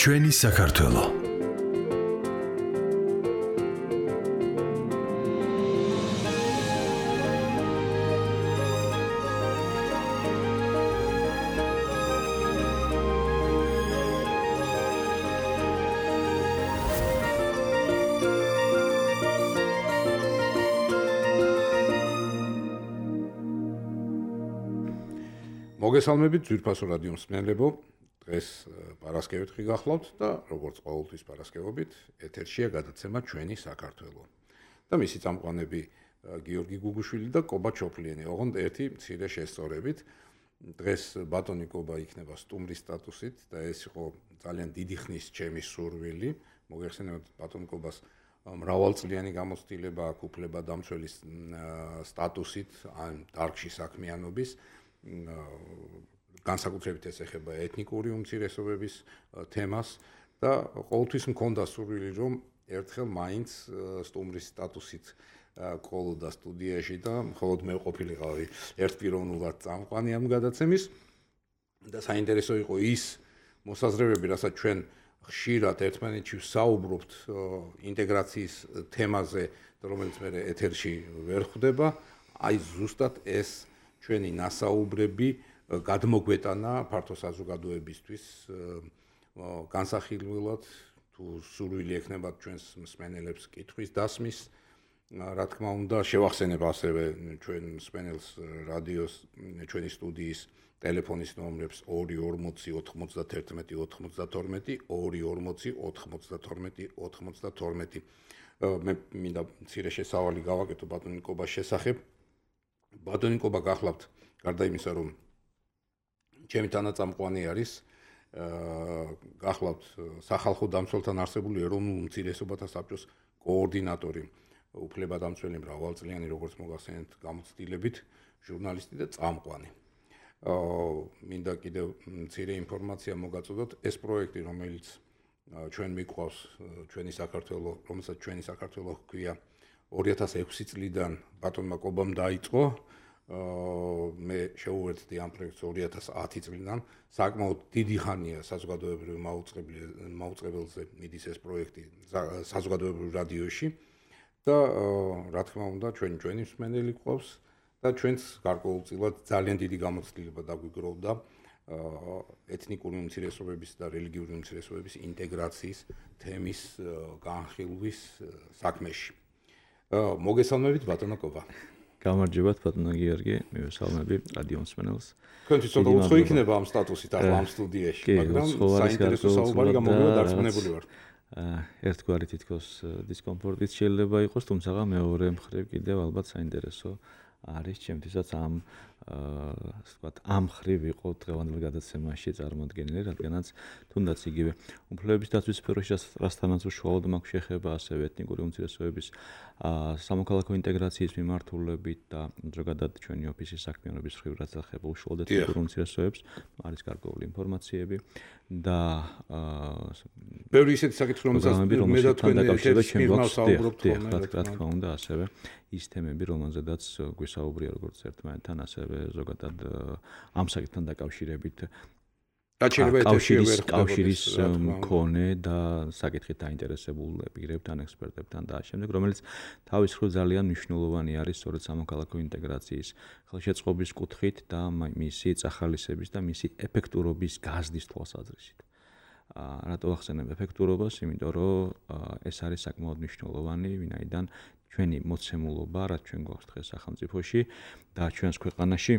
ჩვენი საქართველო. მოგესალმებით ძვირფასო რადიო მსმენელებო. დღეს პარასკევით გახლავთ და როგორც ყოველთვის პარასკევობით ეთერშია გადაცემა ჩვენი საქართველო. და მისი წამყვანები გიორგი გუგუშვილი და კობა ჩოფლიანი. ოღონდ ერთი მცირე შესწორებით. დღეს ბატონი კობა იქნება სტუმრის სტატუსით და ეს იყო ძალიან დიდი ხნის ჩემი სურვილი. მოგეხსენებათ ბატონ კობას მრავალწლიანი გამოცდილება აქვს უფლება დამცველის სტატუსით ან დარგში საქმიანობის. განსაკუთრებით ეს ეხება ეთნიკური უმცირესობების თემას და ყოველთვის მქონდა სურვილი რომ ერთხელ მაინც სტუმრის სტატუსით ყოლოდა სტუდიაში და მხოლოდ მე ყოფილიყავი ერთპიროვნულად წამყვანი ამ გადაცემის და საინტერესო იყო ის მოსაზრებები, რასაც ჩვენ ხშირად ერთმანეთში ვსაუბრობთ ინტეგრაციის თემაზე, რომელიც მე ეთერში ვერ ხვდება, აი ზუსტად ეს ჩვენი ნასაუბრები გადმოგვეტანა ფართო საზოგადოებისთვის განსახილველად თუ სურვილი ექნებათ ჩვენს მსმენელებს კითხვის დასმის. რა თქმა უნდა, შევახსენებ ასევე ჩვენ მსმენელს რადიოს ჩვენი სტუდიის ტელეფონის ნომრებს 240 91 92 240 92 მე მინდა მცირე შესავალი გავაკეთო ბატონი კობას შესახებ. ბატონი კობა გახლავთ გარდა იმისა რომ ჩემი თანაწამყვანი არის გახლავთ სახალხო დამცველთან არსებული ეროვნულ უმცირესობათა საბჭოს კოორდინატორი, უფლებადამცველი მრავალწლიანი როგორც მოგახსენეთ გამოცდილებით ჟურნალისტი და წამყვანი. მინდა კიდევ მცირე ინფორმაცია მოგაწოდოთ, ეს პროექტი რომელიც ჩვენ მიყვავს ჩვენი საქართველო, რომელსაც ჩვენი საქართველო ჰქვია 2006 წლიდან ბატონმა კობამ დაიწყო. მე შეუერთდი ამ პროექტს 2010 წლიდან. საკმაოდ დიდი ხანია საზოგადოებრივ მაუწყებელზე მიდის ეს პროექტი საზოგადოებრივ რადიოში და რა თქმა უნდა ჩვენი მსმენელი ყავს და ჩვენს გარკვეულწილად ძალიან დიდი გამოცდილება დაგვიგროვდა ეთნიკური უმცირესობების და რელიგიური უმცირესობების ინტეგრაციის თემის განხილვის საქმეში. მოგესალმებით ბატონო კობა. გამარჯობათ ბატონო გიორგი, მივესალმები რადიო მსმენელს. თქვენთვის ცოტა უცხო იქნება ამ სტატუსით ახლა ამ სტუდიაში, მაგრამ საინტერესო საუბარი გამოგება დარწმუნებული ვარ. ერთგვარი თითქოს დისკომფორტიც შეიძლება იყოს, თუმცა მეორე მხრივ კიდევ ალბათ საინტერესო არის ჩემთვისაც ამ მხრივ იყო დღევანდელ გადაცემაში წარმოდგენილი, რადგანაც თუნდაც იგივე უფლებების დაცვის სფეროში რასთანაც უშუალოდ მაქვს შეხება, ასევე ეთნიკური უმცირესობების სამოქალაქო ინტეგრაციის მიმართულებით და ზოგადად ჩვენი ოფისის საქმიანობის მხრივ რაც ეხება უშუალოდ ეთნიკურ უმცირესობებს, არის გარკვეული ინფორმაციები და ბევრი ისეთი საკითხი რომელსაც მე და თქვენ საუბრობთ, რა თქმა უნდა, ასევე ის თემები, რომელზედაც გვისაუბრია როგორც ერთმანეთთან, ასევე ზოგადად ამ საკითხთან დაკავშირებით კავშირის მქონე და საკითხით დაინტერესებულ პირებთან, ექსპერტებთან და შემდეგ, რომელიც თავის მხრივ ძალიან მნიშვნელოვანი არის სწორედ სამოქალაქო ინტეგრაციის ხელშეწყობის კუთხით და მისი წახალისების და მისი ეფექტურობის გაზრდის თვალსაზრისით. რატო ახსენებ ეფექტურობას? იმიტომ რომ ეს არის საკმაოდ მნიშვნელოვანი, ვინაიდან ჩვენი მოცემულობა, რაც ჩვენ გვაქვს დღეს სახელმწიფოში და ჩვენს ქვეყანაში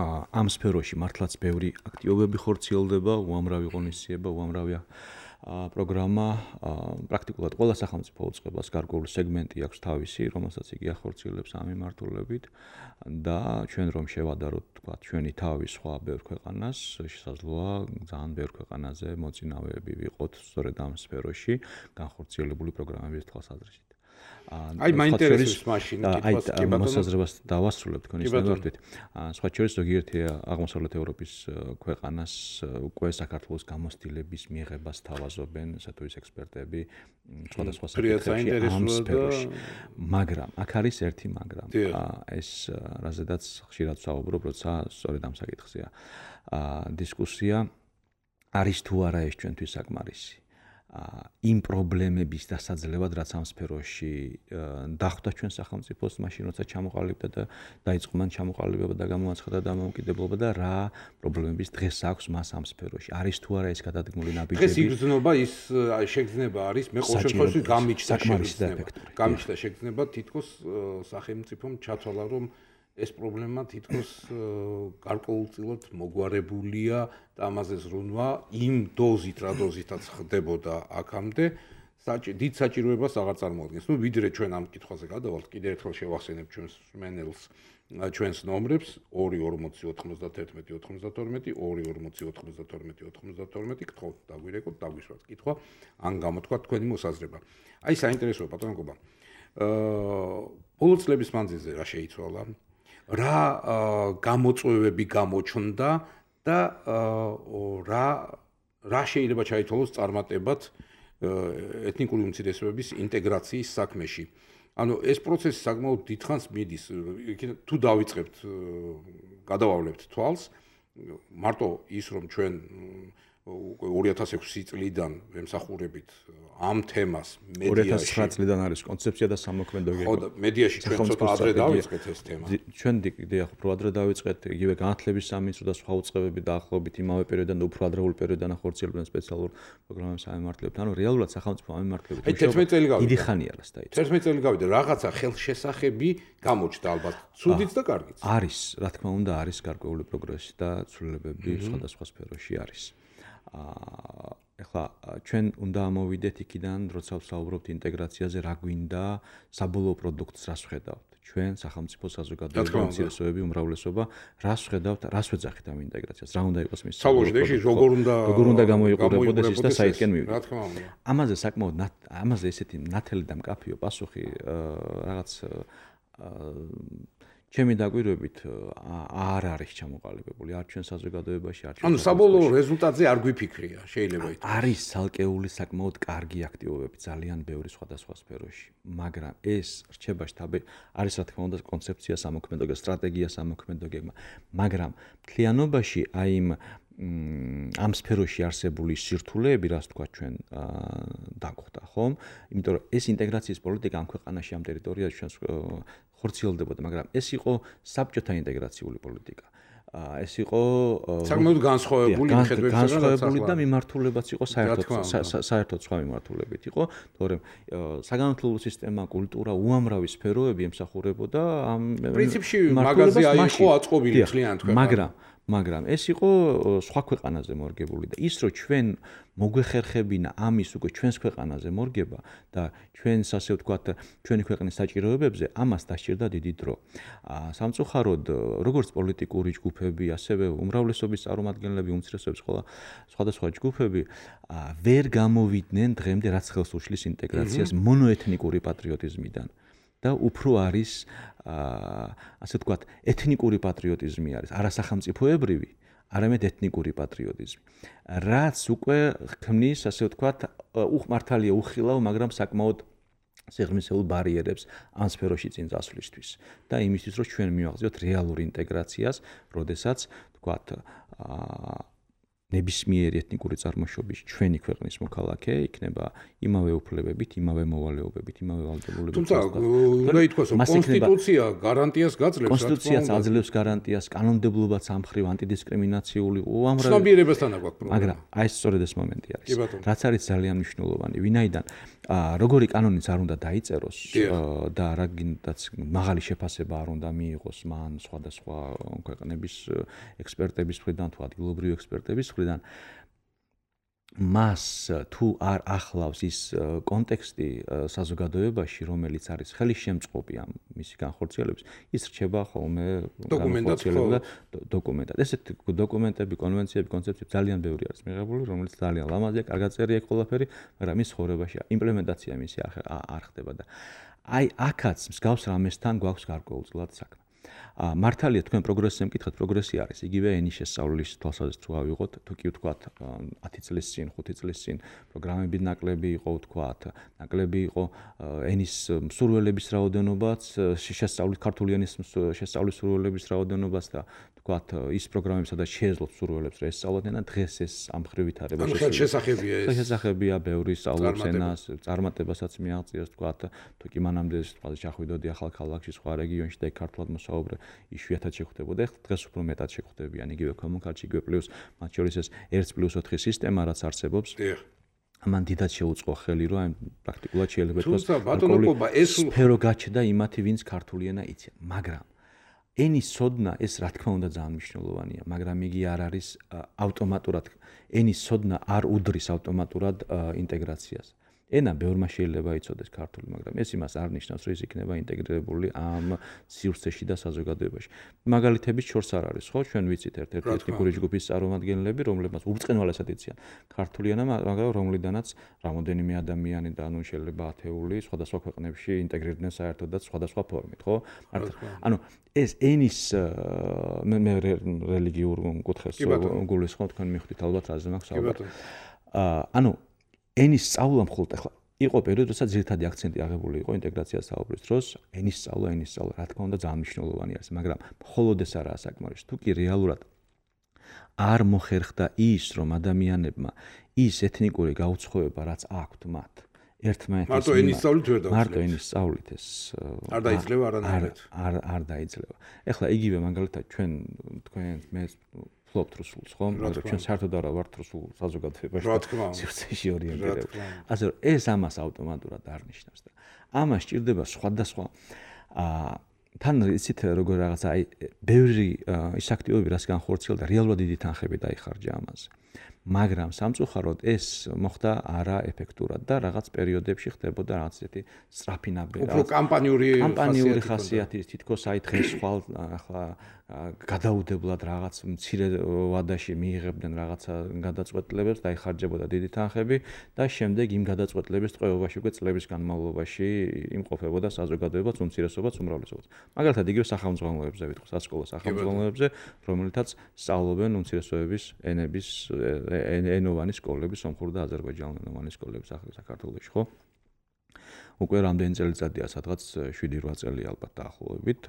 ამ სფეროში მართლაც ბევრი აქტივობები ხორციელდება, უამრავი ღონისძიება, უამრავი პროგრამა, პრაქტიკულად ყველა სახელმწიფო უწყებას გარკვეული სეგმენტი აქვს თავისი, რომელსაც იგი ახორციელებს ამ მიმართულებით და ჩვენ რომ შევადაროთ, თქვა, ჩვენი თავი სხვა ბევრ ქვეყანას, შესაძლოა ძალიან ბევრ ქვეყანაზე მოწინავეები ვიყოთ სწორედ ამ სფეროში განხორციელებული პროგრამების თვალსაზრისით. აი მაინტერესებს მაშინ კითხვას კი ბატონო მოსაზრებას დავასრულებ თქვენი სტანდარტით. სხვა შორის ზოგიერთი აღმოსავლეთ ევროპის ქვეყანას უკვე საქართველოს გამოცდილების მიღებას თავაზობენ ესეთუის ექსპერტები სხვადასხვა საკითხებში. მაგრამ აქ არის ერთი მაგრამ. ეს რაზედაც ხშირად ვსაუბრობ, როცა სწორედ ამ საკითხზეა დისკუსია. არის თუ არა ეს ჩვენთვის საკმარისი. იმ პრობლემების დასაძლევად, რაც ამ სფეროში დახვდა ჩვენ სახელმწიფოს, მაშინ როცა ჩამოყალიბდა და დაიწყო მან ჩამოყალიბება და გამოაცხადა დამოუკიდებლობა და რა პრობლემების დღეს აქვს მას ამ სფეროში. არის თუ არა ეს გადადგმული ნაბიჯები? დღეს იგრძნობა ის შეგრძნება არის, მე ყოველ შემთხვევაში გამიჩნდა შეგრძნება თითქოს სახელმწიფომ ჩათვალა, რომ ეს პრობლემა თითქოს გარკვეულწილად მოგვარებულია და ამაზე ზრუნვა იმ დოზით, რა დოზითაც ხდებოდა აქამდე, დიდ საჭიროებას აღარ წარმოადგენს. ნუ ვიდრე ჩვენ ამ კითხვაზე გადავალთ, კიდევ ერთხელ შევახსენებ ჩვენს მენელს, ჩვენს ნომრებს 2409192 2409292 გთხოვთ დაგვირეკოთ, დაგვიშვათ კითხვა, ან გამოთქვათ თქვენი მოსაზრება. აი საინტერესოა ბატონო გობა. ბოლო წლების მანძილზე რა შეიცვალა? რა გამოწვევები გამოჩნდა და რა შეიძლება ჩაითვალოს წარმატებად ეთნიკური უმცირესობების ინტეგრაციის საქმეში. ანუ ეს პროცესი საკმაოდ დიდხანს მიდის. თუ დავიწყებთ, გადავავლებთ თვალს, მარტო ის რომ ჩვენ 2006 წლიდან ვემსახურებით ამ თემას მედიაში 2009 წლიდან არის კონცეფცია და სამოქმედო გეგმა. ხო და მედიაში ჩვენ ცოტა ადრე დავიწყეთ ეს თემა. ჩვენ დიახ, უფრო ადრე დავიწყეთ, იგივე განათლების სამინისტრო და სხვა უწყებები დაახლოებით იმავე პერიოდიდან და უფრო ადრეული პერიოდიდან ახორციელებდნენ სპეციალურ პროგრამებს ამემართლებით. ანუ რეალურად სახელმწიფო ამემართლებით. აი 11 წელი გავიდა. დიდი ხანია რას დაიწყო. 11 წელი გავიდა, რაღაცა ხელშესახები გამოჩნდა ალბათ. ცუდიც და კარგიც. არის, რა თქმა უნდა, არის გარკვეული პროგრესი და ცვლილებები სხვადასხვა სფეროში არის. ეხლა ჩვენ უნდა ამოვიდეთ იქიდან, როცა ვსაუბრობთ ინტეგრაციაზე, რა გვინდა საბოლოო პროდუქტს რას ვხედავთ. ჩვენ სახელმწიფო საზოგადოება უმცირესობები უმრავლესობა რას ვხედავთ, რას ვეძახით ამ ინტეგრაციას, რა უნდა იყოს მის საბოლოოში როგორ უნდა გამოიყურებოდეს ის და საითკენ მივიდეთ. რა თქმა უნდა. ამაზე საკმაოდ ამაზე ესეთი ნათელი და მკაფიო პასუხი რაღაც ჩემი დაკვირვებით არ არის ჩამოყალიბებული არ ჩვენ საზოგადოებაში არ ჩვენ ანუ საბოლოო რეზულტატზე არ გვიფიქრია შეიძლება ითქვას არის ცალკეული საკმაოდ კარგი აქტივობები ძალიან ბევრი სხვადასხვა სფეროში მაგრამ ეს რჩება შტაბი არის რა თქმა უნდა კონცეფცია სამოქმედო გეგმა სტრატეგია სამოქმედო გეგმა მაგრამ მთლიანობაში აი ამ სფეროში არსებული სირთულეები რაც თქვა ჩვენ დაგვხვდა ხომ იმიტომ რომ ეს ინტეგრაციის პოლიტიკა ამ ქვეყანაში ამ ტერიტორიაზე ჩვენს ხორციელდებოდა, მაგრამ ეს იყო საბჭოთა ინტეგრაციული პოლიტიკა. ეს იყო საკმაოდ განსხვავებული განსხვავებული და მიმართულებაც იყო საერთოდ სხვა მიმართულებით იყო, თორემ საგანმანათლებლო სისტემა, კულტურა, უამრავი სფეროები ემსახურებოდა ამ პრინციპში მაგაზე აიყო აწყობილი ძალიან თქვენ. მაგრამ ეს იყო სხვა ქვეყანაზე მორგებული და ის რომ ჩვენ მოგვეხერხებინა ამის უკვე ჩვენს ქვეყანაზე მორგება და ჩვენს ასე ვთქვათ ჩვენი ქვეყნის საჭიროებებზე ამას დასჭირდა დიდი დრო. სამწუხაროდ როგორც პოლიტიკური ჯგუფები, ასევე უმრავლესობის წარმომადგენლები, უმცირესობების ყველა სხვადასხვა ჯგუფები ვერ გამოვიდნენ დღემდე რაც ხელს უშლის ინტეგრაციას მონოეთნიკური პატრიოტიზმიდან. და უფრო არის ასე ვთქვათ ეთნიკური პატრიოტიზმი არის არასახელმწიფოებრივი არამედ ეთნიკური პატრიოტიზმი რაც უკვე ქმნის ასე ვთქვათ უხმართალია უხილავ მაგრამ საკმაოდ სიღრმისეულ ბარიერებს ამ სფეროში წინ წასვლისთვის და იმისთვის რომ ჩვენ მივაღწიოთ რეალურ ინტეგრაციას როდესაც ვთქვათ ნებისმიერი ეთნიკური წარმოშობის ჩვენი ქვეყნის მოქალაქე იქნება იმავე უფლებებით, იმავე მოვალეობებით, იმავე ვალდებულებით. თუმცა უნდა ითქვას, რომ კონსტიტუცია გარანტიას გაძლევს, კონსტიტუციაც აძლევს გარანტიას, კანონმდებლობაც ამ მხრივ ანტიდისკრიმინაციული უამრავი ცნობიერებასთან აქვს პრობლემა. მაგრამ აი ეს სწორედ ეს მომენტი არის. რაც არის ძალიან მნიშვნელოვანი, ვინაიდან როგორი კანონიც არ უნდა დაიწეროს და რაგინდაც მაღალი შეფასება არ უნდა მიიღოს მან სხვადასხვა ქვეყნების ექსპერტების მხრიდან თუ ადგილობრივი ექსპერტების მხრიდან მას თუ არ ახლავს ის კონტექსტი საზოგადოებაში რომელიც არის ხელისშემწყობი ამ მისი განხორციელების ის რჩება ხოლმე განხორციელება დოკუმენტად ესეთ დოკუმენტები კონვენციები კონცეფციები ძალიან ბევრი არის მიღებული რომელიც ძალიან ლამაზია კარგად წერია ყველაფერი მაგრამ ის ხორებაში იმპლემენტაცია მისი არ ხდება და აი აქაც მსგავს რამესთან გვაქვს გარკვეულწილად საქმე მართალია თქვენ პროგრესზე მკითხეთ, პროგრესი არის. იგივე ენის შესწავლის თვალსაზრისით თუ ავიღოთ, თუ კი ვთქვათ 10 წლის წინ, 5 წლის წინ პროგრამები ნაკლები იყო, ვთქვათ, ნაკლები იყო ენის მსურველების რაოდენობაც, შესწავლის ქართული ენის შესწავლის მსურველების რაოდენობაც და ვთქვათ ის პროგრამები, სადაც შეეძლოთ მსურველებს რა ესწავლოდნენ და დღეს ეს ამ ხრივ ვითარება შესახებია ეს. შესახებია ბევრი სწავლობს ენას, წარმატებასაც მიაღწიოს, ვთქვათ, თუ კი მანამდე ვთქვათ ჩახვიდოდი ახალ ქალაქში, სხვა რეგიონში და ქართულად მოსაუბრე იშვიათად შეხვდებოდა. ეხლა დღეს უფრო მეტად შეხვდებიან იგივე კომუნიკაციაში, იგივე პლუს მათ შორის ეს 1+4 სისტემა რაც არსებობს. ამან დიდად შეუწყო ხელი, რომ აი პრაქტიკულად შეიძლება ითქვას, სფერო გაჩნდა იმათი, ვინც ქართული ენა იციან, მაგრამ ენის ცოდნა ეს რა თქმა უნდა ძალიან მნიშვნელოვანია, მაგრამ იგი არ არის ავტომატურად ენის ცოდნა არ უდრის ავტომატურად ინტეგრაციას. ენა ბევრმა შეიძლება იცოდეს ქართული, მაგრამ ეს იმას არ ნიშნავს, რომ ის იქნება ინტეგრირებული ამ სივრცეში და საზოგადოებაში. მაგალითების შორს არ არის, ხო? ჩვენ ვიცით ერთ-ერთი ეთნიკური ჯგუფის წარმომადგენლები, რომლებმაც ურწყენვალესად იციან ქართული ენა, მაგრამ რომლიდანაც რამოდენიმე ადამიანი და ანუ შეიძლება ათეული სხვადასხვა ქვეყნებში ინტეგრირდნენ საერთოდ და სხვადასხვა ფორმით, ხო? ანუ ეს ენის მე რელიგიურ კუთხეს გულისხმობ, თქვენ მიხვდით ალბათ რაზე მაქვს საუბარი. ანუ ენის სწავლა მხოლოდ ახლა იყო პერიოდი, როცა ძირითადი აქცენტი აღებული იყო ინტეგრაციას საუბრის დროს, ენის სწავლა, რა თქმა უნდა ძალიან მნიშვნელოვანი არის, მაგრამ მხოლოდ ეს არაა საკმარისი. თუ კი რეალურად არ მოხერხდა ის, რომ ადამიანებმა ის ეთნიკური გაუცხოება, რაც აქვთ მათ, ერთმანეთის მარტო ენის სწავლით ვერ დაუძლევს. მარტო ენის სწავლით ეს არ დაიძლევა არანაირად. არ დაიძლევა. ეხლა იგივე მაგალითად ჩვენ თქვენ მე ფლობთ რუსულს, ხო? მაგრამ ჩვენ საერთოდ არა ვართ რუსულ საზოგადოებაში. სივრცეში ორიენტირებული. ასე რომ ეს ამას ავტომატურად არ ნიშნავს და ამას სჭირდება სხვადასხვა თან იცით როგორ რაღაცა აი ბევრი ის აქტივობები რაც განხორციელდა რეალურად დიდი თანხები დაიხარჯა ამაზე. მაგრამ სამწუხაროდ ეს მოხდა არაეფექტურად და რაღაც პერიოდებში ხდებოდა რაღაც ისეთი სწრაფი ნაბიჯი. უფრო კამპანიური ხასიათის თითქოს აი დღეს ხვალ ახლა გადაუდებლად რაღაც მცირე ვადაში მიიღებდნენ რაღაცა გადაწყვეტილებებს, დაიხარჯებოდა დიდი თანხები და შემდეგ იმ გადაწყვეტილების ტყვეობაში უკვე წლების განმავლობაში იმყოფებოდა საზოგადოებაც, უმცირესობაც, უმრავლესობაც. მაგალითად იგივე სახელმძღვანელოებზე ვიტყვი, სასკოლო სახელმძღვანელოებზე, რომელთაც სწავლობენ უმცირესობების ენების ენოვანი სკოლები, სომხური და აზერბაიჯანულენოვანი სკოლები საქართველოში, ხო? უკვე რამდენი წელიწადია, სადღაც 7-8 წელი ალბათ დაახლოებით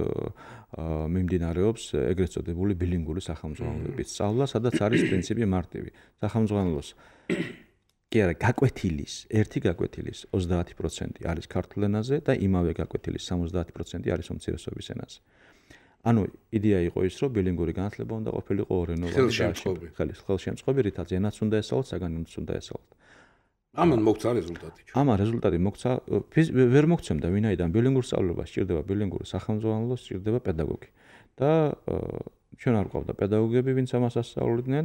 მიმდინარეობს ეგრეთ წოდებული ბილინგური სახელმძღვანელოების სწავლა, სადაც არის პრინციპი მარტივი. სახელმძღვანელოს კი არა, გაკვეთილის, ერთი გაკვეთილის 30% არის ქართულ ენაზე და იმავე გაკვეთილის 70% არის უმცირესობის ენაზე. ანუ იდეა იყო ის, რომ ბილინგური განათლება უნდა ყოფილიყო ორენოვანი და ხელშემწყობი, რითაც ენაც უნდა ესწავლოთ, საგანიც უნდა ესწავლოთ. ამან მოგცა რეზულტატი. ამან რეზულტატი მოგცა, ვერ მოგცემდა, ვინაიდან ბილინგურ სწავლებას სჭირდება ბილინგური სახელმძღვანელო, სჭირდება პედაგოგი. და ჩვენ არ გვყავდა პედაგოგები, ვინც ამას ასწავლიდნენ.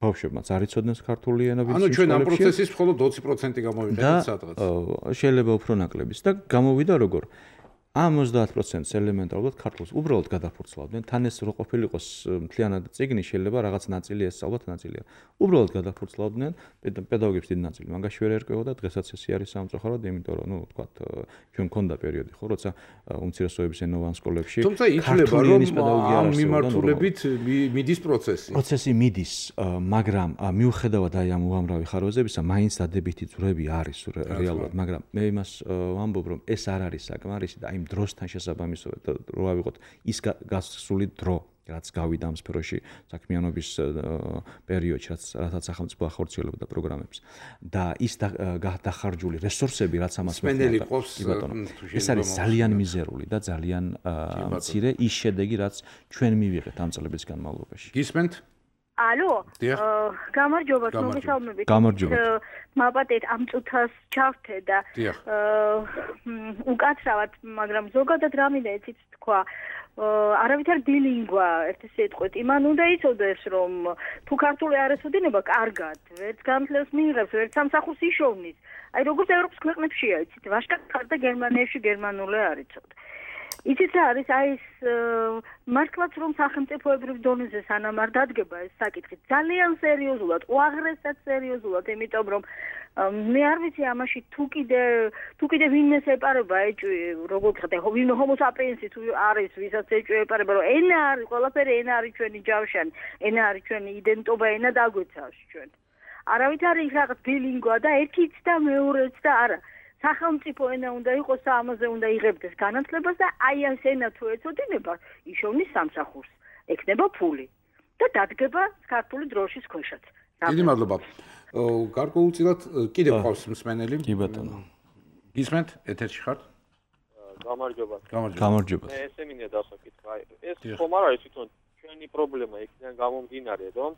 ბავშვებმაც არ იცოდნენ ქართული ენა, ვინც ანუ ჩვენ ამ პროცესის მხოლოდ 20% გამოვიყენეთ სადღაც. შეიძლება უფრო ნაკლებიც და გამოვიდა როგორ? ამ 30%-ს ელემენტარულად ქართულს უბრალოდ გადაფურცლავდნენ. თან ეს რო ყოფილიყოს მთლიანად წიგნი, შეიძლება რაღაც ნაწილი ესწავლოთ, ნაწილია. უბრალოდ გადაფურცლავდნენ, პედაგოგებს დიდი ნაწილი მაგაში ვერ ერკვეოდა, დღესაც ესე არის სამწუხაროდ, იმიტომ რომ, ვთქვათ, ჩვენ მქონდა პერიოდი, ხო, როცა უმცირესობების ენოვან სკოლებში თუმცა ითვლება, რომ ამ მიმართულებით მიდის პროცესი. პროცესი მიდის, მაგრამ მიუხედავად აი ამ უამრავი ხარვეზებისა, მაინც დადებითი ძვრები არის რეალურად, მაგრამ მე იმას ვამბობ, რომ ეს არ არის საკმარისი და იმ დროსთან შესაბამისად რო ავიღოთ ის გასული დრო, რაც გავიდა ამ სფეროში საქმიანობის პერიოდში, რასაც სახელმწიფო ახორციელებდა პროგრამებს და ის დახარჯული რესურსები, რაც ამას მოხდა, ეს არის ძალიან მიზერული და ძალიან მცირე ის შედეგი, რაც ჩვენ მივიღეთ ამ წლების განმავლობაში. გისმენთ? ალო, გამარჯობა, მოგესალმებით. გამარჯობა. მაპატეთ ამ წუთას ჩავთე და უკაცრავად, მაგრამ ზოგადად რა მინდა იცით თქვა, არავითარ ბილინგვა ერთი სიტყვით, იმან უნდა იცოდეს, რომ თუ ქართული არ ესოდინება, კარგად, ვერც განათლებას მიიღებს, ვერც სამსახურს იშოვნის. აი როგორც ევროპის ქვეყნებშია, იცით, ვაშკარად ხარ და გერმანიაში გერმანული არ იცოდე. იცით რა არის აი ეს მართლაც რომ სახელმწიფოებრივ დონეზე სანამ არ დადგება ეს საკითხი ძალიან სერიოზულად, უაღრესად სერიოზულად, იმიტომ რომ მე არ ვიცი ამაში თუ კიდე ვინმეს ეპარება ეჭვი, როგორ ხდება, ვინ homo sapiens თუ არის, ვისაც ეჭვი ეპარება, რომ ენა არის, ყველაფერი ენა არის ჩვენი ჯავშანი, ენა არის ჩვენი იდენტობა, ენა დაგვეცავს ჩვენ. არავით არის რაღაც ბილინგვა და ერთიც და მეორეც და არა. სახელმწიფო ენა უნდა იყოს და ამაზე უნდა იღებდეს განათლებას და აი ეს ენა თუ ეწოდინება, იშოვნის სამსახურს, ექნება ფული და დადგება ქართული დროშის ქვეშაც. დიდი მადლობა. გარკვეულწილად კიდევ ყავს მსმენელი. კი ბატონო. გისმენთ, ეთერში ხართ? გამარჯობა. გამარჯობა. მე ესე მინდა დასაკითხა. ეს ხომ არ არის თვითონ ჩვენი პრობლემა იქიდან გამომდინარე, რომ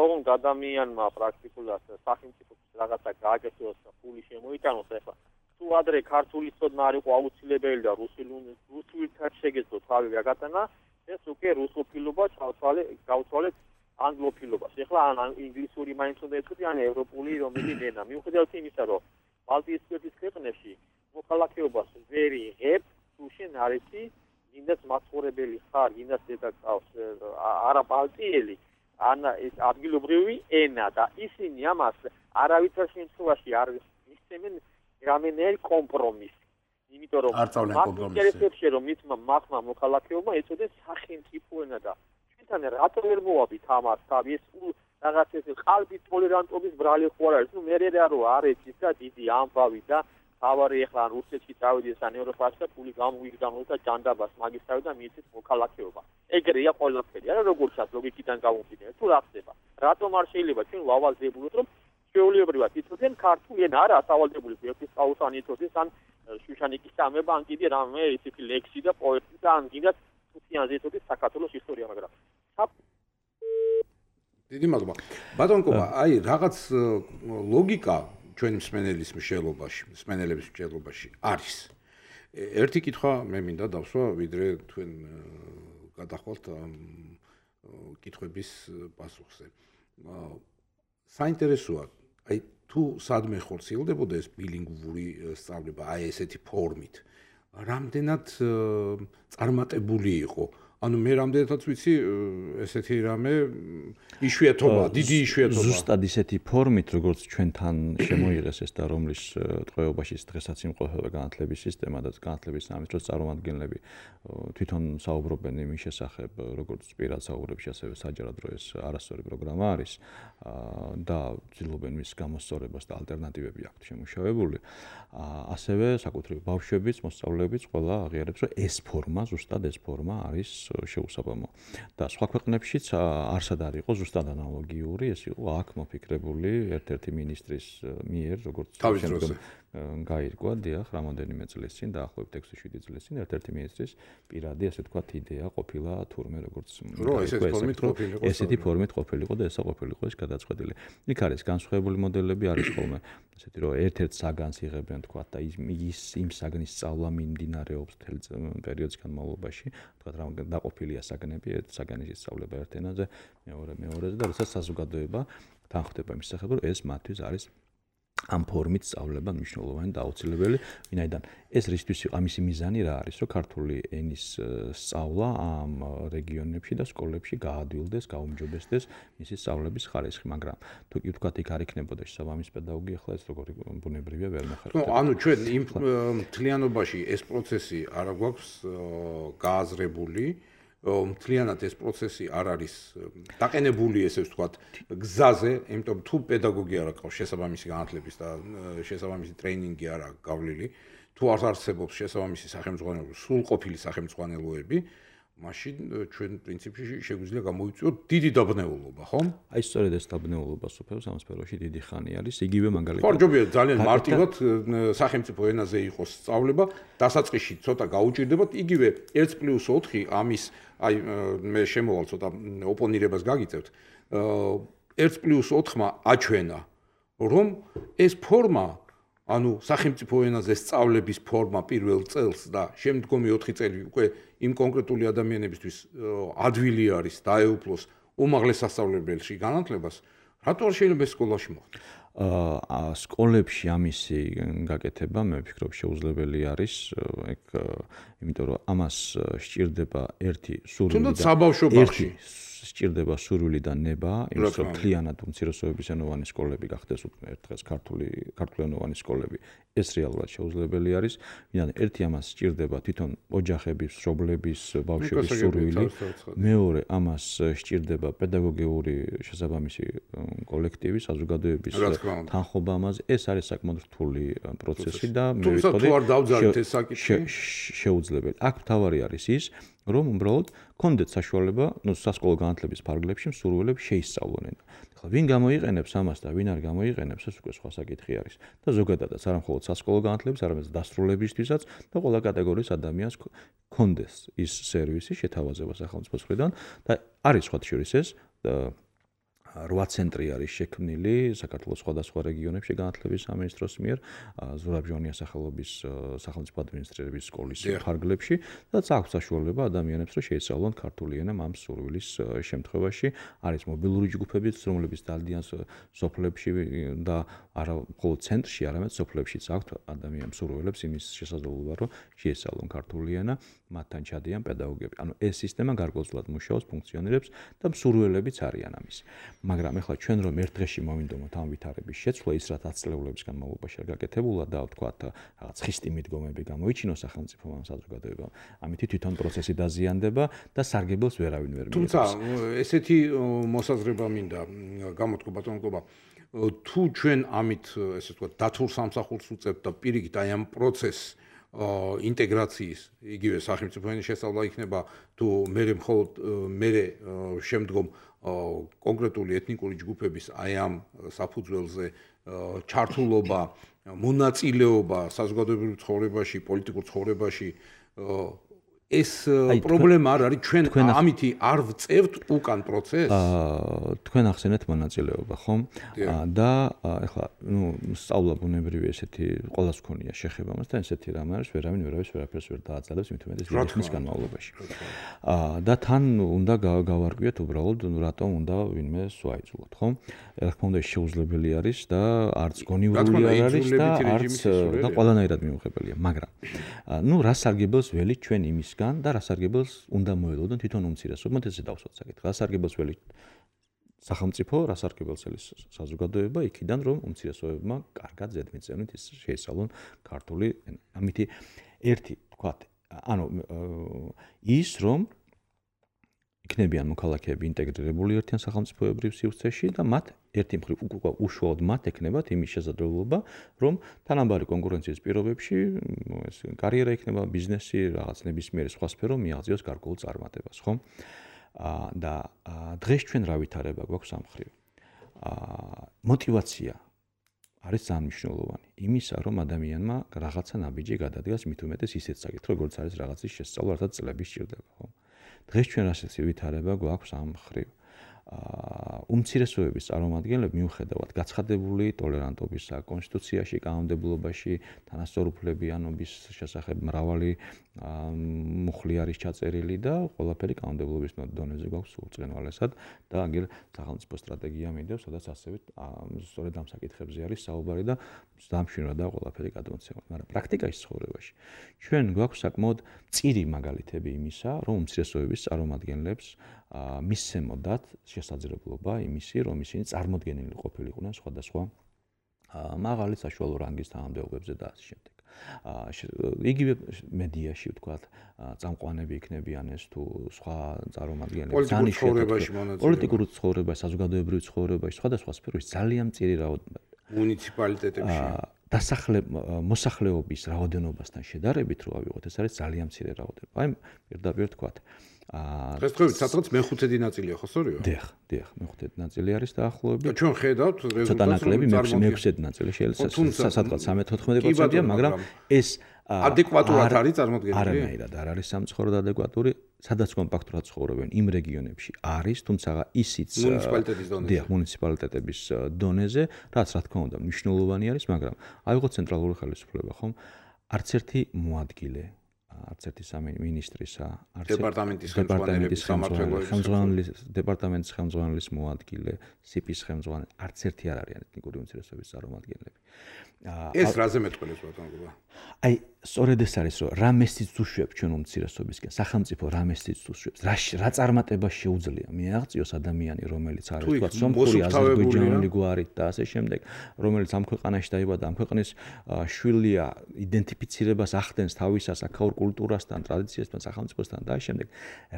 ოღონდ ადამიანმა პრაქტიკულად სახელმწიფოს რაღაცა გააკეთოს და ფული შემოიტანოს, ახლა თუ ადრე ქართული ცოდნა არ იყო აუცილებელი და რუსულთან შეგეძლო თავი გაგატანა, ეს უკვე რუსოფილობა გავცვალეთ ანგლოფილობას. ახლა ან ინგლისური მაინც უნდა ეწოდე, ან ევროპული რომელიც ენა. მიუხედავად იმისა, რომ ბალტიისპირეთის ქვეყნებში მოქალაქეობას ვერ იღებ, თუ შენ არ იცი, გინდაც მაცხოვრებელი ხარ, გინდაც დედაკავს არა ბალტიელი, ან ეს ადგილობრივი ენა და ისინი ამას არავითარ შემთხვევაში არ მისცემენ რამენელ კომპრომისს. იმიტომ რომ ინტერესებში რომ მისმა მახმა მოქალაქეობა ეწოდეს სახელმწიფო ენა და ჩვენთან რატო ვერ მოვაბით ამას თავი ეს რაღაც ეს ყალბი ტოლერანტობის ბრალი ხო არ არის. ნუ მე რა არ ეცის და დიდი ამბავი და თავარი ახლა რუსეთში წავიდეს ან ევროპაში და ფული გამოვიგდამოს და ჯანდაბას მაგისთავი და მიიცით მოქალაქეობა. ეგრეა ყველაფერი. არა როგორცაც ლოგიკიდან გამომდინარე. თუ რა ხდება? რატომ არ შეიძლება ჩვენ ვავალდებულოთ რომ ჩვეულებრივად იცოდნენ ქართული ენა არა სავალდებული ერთის ყაუსანი იცოდეს ან შუშანიკის სამება ან კიდე რამე ისეთი ლექსი და პოეტი და ან კიდე თუთიანზე იცოდეს საქართველოს ისტორია, მაგრამ დიდი მადლობა. ბატონ კობა, აი რაღაც ლოგიკა ჩვენი მსმენელების მსჯელობაში არის. ერთი კითხვა მე მინდა დავსვა, ვიდრე თქვენ გადახვალთ კითხვების პასუხზე. საინტერესოა, აი თუ სადმე ხორციელდებოდა ეს ბილინგვური სწავლება, აი ესეთი ფორმით, რამდენად წარმატებული იყო? ანუ მე რამდენადაც ვიცი, ესეთი რამე იშვიათობა, დიდი იშვიათობა. ზუსტად ისეთი ფორმით, როგორც ჩვენთან შემოიღეს ეს და რომლის ტყვეობაში დღესაც იმყოფება განათლების სისტემა და განათლების სამინისტროს წარმომადგენლები თვითონ საუბრობენ იმის შესახებ, როგორც პირად საუბრებში, ასევე საჯაროდ რომ ეს არასწორი პროგრამა არის და ცდილობენ მის გამოსწორებას და ალტერნატივები აქვთ შემუშავებული. ასევე საკუთრივ ბავშვებიც, მოსწავლეებიც ყველა აღიარებს, რომ ეს ფორმა, ზუსტად ეს ფორმა არის შეუსაბამო. და სხვა ქვეყნებშიც არსად არ იყო ზუსტად ანალოგიური, ეს იყო აქ მოფიქრებული ერთ-ერთი მინისტრის მიერ, როგორც გაირკვა, დიახ, რამოდენიმე წლის წინ, დაახლოებით 6-7 წლის წინ, ერთ-ერთი მინისტრის პირადი, ასე ვთქვათ, იდეა ყოფილა თურმე, როგორც ესეთი ფორმით ყოფილიყო და ესა ყოფილიყო ეს გადაწყვეტილი. იქ არის განსხვავებული მოდელები, არის ხოლმე ესეთი, რომ ერთ-ერთ საგანს იღებენ, თქვათ, და იმ საგნის სწავლა მიმდინარეობს მთელ პერიოდის განმავლობაში, თქვათ, რა დაყოფილია საგნები, ერთ საგანის ისწავლება ერთ ენაზე, მეორეზე და როდესაც საზოგადოება თანხმდება იმის შესახებ, რომ ეს მათთვის არის ამ ფორმით სწავლება მნიშვნელოვანი და აუცილებელი, ვინაიდან ეს რისთვის ამისი მიზანი რა არის, რომ ქართული ენის სწავლა ამ რეგიონებში და სკოლებში გაადვილდეს, გაუმჯობესდეს მისი სწავლების ხარისხი, მაგრამ თუ კი ვთქვათ, იქ არ იქნებოდა შესაბამისი პედაგოგი, ახლა ეს როგორი ბუნებრივია ვერ მეხარჯებოდა. ანუ ჩვენ იმ მთლიანობაში ეს პროცესი არ გვაქვს გააზრებული. მთლიანად ეს პროცესი არ არის დაყენებული, ესე ვთქვათ, გზაზე, იმიტომ თუ პედაგოგი არ აქვს შესაბამისი განათლების და შესაბამისი ტრეინინგი არ აქვს გავლილი, თუ არ არსებობს შესაბამისი სახელმძღვანელო, სრულყოფილი სახელმძღვანელოები, მაშინ ჩვენ პრინციპში შეგვიძლია გამოვიწვიოთ დიდი დაბნეულობა, ხო? აი სწორედ ეს დაბნეულობა სოფელს ამ სფეროში დიდი ხანი არის, იგივე მაგალითად. ხარჯობია ძალიან მარტივად სახელმწიფო ენაზე იყოს სწავლება, დასაწყისში ცოტა გაუჭირდებათ, იგივე 1+4 ამის აი მე შემოვალ ცოტა ოპონირებას გაგიწევთ. 1+4-მა აჩვენა, რომ ეს ფორმა, ანუ სახელმწიფო ენაზე სწავლების ფორმა პირველ წელს და შემდგომი 4 წელი უკვე იმ კონკრეტული ადამიანებისთვის ადვილი არის დაეუფლოს უმაღლეს სასწავლებელში განათლებას, რატო არ შეიძლება ეს სკოლაში მოხდეს? სკოლებში ამისი გაკეთება მე ვფიქრობ შეუძლებელი არის ეგ იმიტომ რომ ამას სჭირდება ერთი სურვილი და თუნდაც საბავშვო ბაღში სჭირდება სურვილი და ნება იმის რომ მთლიანად უმცირესობებისენოვანი სკოლები გახდეს ერთ დღეს ქართულენოვანი სკოლები ეს რეალურად შეუძლებელი არის ვინაიდან ერთი ამას სჭირდება თვითონ ოჯახების მშობლების ბავშვების სურვილი მეორე ამას სჭირდება პედაგოგიური შესაბამისი კოლექტივის საზოგადოების თანხმობა ამაზე ეს არის საკმაოდ რთული პროცესი და მე ვიტყოდი შეუძლებელი აქ მთავარი არის ის რომ უბრალოდ კონდეთ საშუალება, სასკოლო განათლების ფარგლებში მსურველებს შეისწავლონ. ახლა ვინ გამოიყენებს ამას და ვინ არ გამოიყენებს, ეს უკვე სხვა საკითხი არის. და ზოგადადაც არა მხოლოდ სასკოლო განათლების, არამედ დასრულებისთვისაც და ყველა კატეგორიის ადამიანს კონდეს ის სერვისი შეთავაზება სახელმწიფოს მხრიდან და არის სხვა შორის ეს 8 ცენტრი არის შექმნილი საქართველოს სხვადასხვა რეგიონებში განათლების სამინისტროს მიერ ზურაბ ჟვანიას სახელობის სახელმწიფო ადმინისტრირების სკოლის ფარგლებში და აქვს საშუალება ადამიანებს რომ შეისწავლონ ქართული ენა ამ სურვილის შემთხვევაში არის მობილური ჯგუფებიც რომლებიც დადიან სოფლებში და არა მხოლოდ ცენტრში არამედ სოფლებშიც აქვს ადამიანებს სურვილებს იმის შესაძლებლობა რომ შეისწავლონ ქართული ენა მათთან ჩადიან პედაგოგები ანუ ეს სისტემა გარკვეულწილად მუშაობს ფუნქციონირებს და მსურველებიც არიან ამის მაგრამ ეხლა ჩვენ რომ ერთ დღეში მოვინდომოთ ამ ვითარების შეცვლა ის რაც 10 წლების განმავლობაში არ გაკეთებულა და ვთქვათ რაღაც ხისტი მიდგომები გამოიჩინოს სახელმწიფომ ამ საზოგადოებამ ამით თვითონ პროცესი დაზიანდება და სარგებელს ვერავინ ვერ მიიღებს თუმცა ესეთი მოსაზრება მინდა გამოთქვა ბატონობა თუ ჩვენ ამით ესე ვთქვათ დათულ სამსახურს უწევთ და პირიქით აი ამ პროცესს ინტეგრაციის იგივე სახელმწიფო ენის შესწავლა იქნება თუ მე მხოლოდ მე შემდგომ კონკრეტული ეთნიკური ჯგუფების აი ამ საფუძველზე ჩართულობა, მონაწილეობა საზოგადოებრივ ცხოვრებაში, პოლიტიკურ ცხოვრებაში ეს პრობლემა არ არის ჩვენ ამითი არ ვწევთ უკან პროცესს თქვენ ახსენეთ მონაწილეობა ხომ და ეხლა სწავლა ბუნებრივი ესეთი ყველას ქონია შეხება მასთან ესეთი რამ არის ვერავის ვერაფერს ვერ დააძლევს მით უმეტეს ვიდეოს განმავლობაში და თან უნდა გავარკვიოთ უბრალოდ რატომ უნდა ვინმე სვაიძულოთ ხომ რა თქმა უნდა შეუძლებელი არის და არც გონივრული არ არის და არც და ყველანაირად მიუღებელია მაგრამ რა სარგებელს ველით ჩვენ იმის და რასარგებელს უნდა მოელოდონ თვითონ უმცირესობებმა ესე დავსვათ საკითხი. რასარგებელს ველი სახელმწიფო, რასარგებელს ელის საზოგადოება იქიდან რომ უმცირესობებმა კარგად ზედმიწევნით შეესწავლონ ქართული ენა. ამითი ერთი თქვათ, ანუ ის რომ იქნებიან მოქალაქეები ინტეგრირებული ერთიან სახელმწიფოებრივ სივრცეში და მათ ერთი მხრივ უშუალოდ მათ ექნებათ იმის შესაძლებლობა, რომ თანაბარი კონკურენციის პირობებში ეს კარიერა იქნება, ბიზნესი, რაღაც ნებისმიერი სხვა სფერო მიაღწიოს გარკვეულ წარმატებას, ხო? და დღეს ჩვენ რა ვითარება გვაქვს ამ მხრივ? мотивация არის ძალიან მნიშვნელოვანი. იმისა, რომ ადამიანმა რაღაცა ნაბიჯი გადადგას მით უმეტეს ისეთ საკითხი, როგორც არის რაღაცის შესწავლა, რასაც წლები სჭირდება, ხო? დღეს ჩვენ რასაც ვითარება გვაქვს ამ მხრივ. უმცირესობების წარმომადგენლები მიუხედავად გაცხადებული ტოლერანტობისა, კონსტიტუციაში, კანონმდებლობაში, თანასწორუფლებიანობის შესახებ მრავალი მუხლი არის ჩაწერილი და ყველაფერი კანონმდებლობის დონეზე გვაქვს უწყენვალესად და აგერ სახელმწიფო სტრატეგია მიდევს, სადაც ასევე სწორედ ამ საკითხებზე არის საუბარი და დამშვენად და ყველაფერი გადმოცემა. მაგრამ პრაქტიკაში ცხოვრებაში ჩვენ გვაქვს საკმაოდ მწირი მაგალითები იმისა, რომ უმცირესობების წარმომადგენლებს მისცემოდათ შესაძლებლობა იმისი, რომ ისინი წარმოდგენილი ყოფილიყვნენ სხვადასხვა მაღალი საშუალო რანგის თანამდებობებზე და ასე შემდეგ. იგივე მედიაში ვთქვათ, წამყვანები იქნებიან ეს თუ სხვა წარმომადგენლები, პოლიტიკურ ცხოვრებაში, საზოგადოებრივ ცხოვრებაში, სხვადასხვა სფეროში ძალიან მწირი რაოდენობა. მუნიციპალიტეტებში მოსახლეობის რაოდენობასთან შედარებით რო ავიღოთ, ეს არის ძალიან მცირე რაოდენობა. აი, პირდაპირ ვთქვათ, დღესდღეობით სადღაც მე-5 ნაწილია, ხო სწორია? დიახ, მე-5 ნაწილი არის დაახლოებით. და ჩვენ ხედავთ რეზულტატს, ცოტა ნაკლები მე-6 ნაწილი შეიძლება სადღაც 13-14%-ია, მაგრამ ეს ადეკვატურად არის წარმოდგენილი? არანაირად არ არის სამწუხაროდ ადეკვატური, სადაც კომპაქტურად ცხოვრობენ იმ რეგიონებში არის, თუმცა ისიც მუნიციპალიტეტების დონეზე, რაც რა თქმა უნდა მნიშვნელოვანი არის, მაგრამ ავიღოთ ცენტრალური ხელისუფლება, ხომ? არც ერთი მოადგილე არც ერთი სამინისტრისა, არც დეპარტამენტის დეპარტამენტის ხელმძღვანელის მოადგილე, სიპის ხელმძღვანელი, არც ერთი არ არიან ეთნიკური უმცირესობების წარმომადგენლები. ეს რაზე მეტყველებს ბატონობა? აი, სწორედ ეს არის, რომ რა მესიც უშვებს ჩვენ უმცირესობისკენ, სახელმწიფო რა მესიც უშვებს, რა წარმატება შეუძლია მიაღწიოს ადამიანი, რომელიც არის თქვა სომხური, აზერბაიჯანული გვარით და ასე შემდეგ, რომელიც ამ ქვეყანაში დაიბადა, ამ ქვეყნის შვილია, იდენტიფიცირებას ახდენს თავისას აქაურ კულტურასთან, ტრადიციასთან, სახელმწიფოსთან და ასე შემდეგ.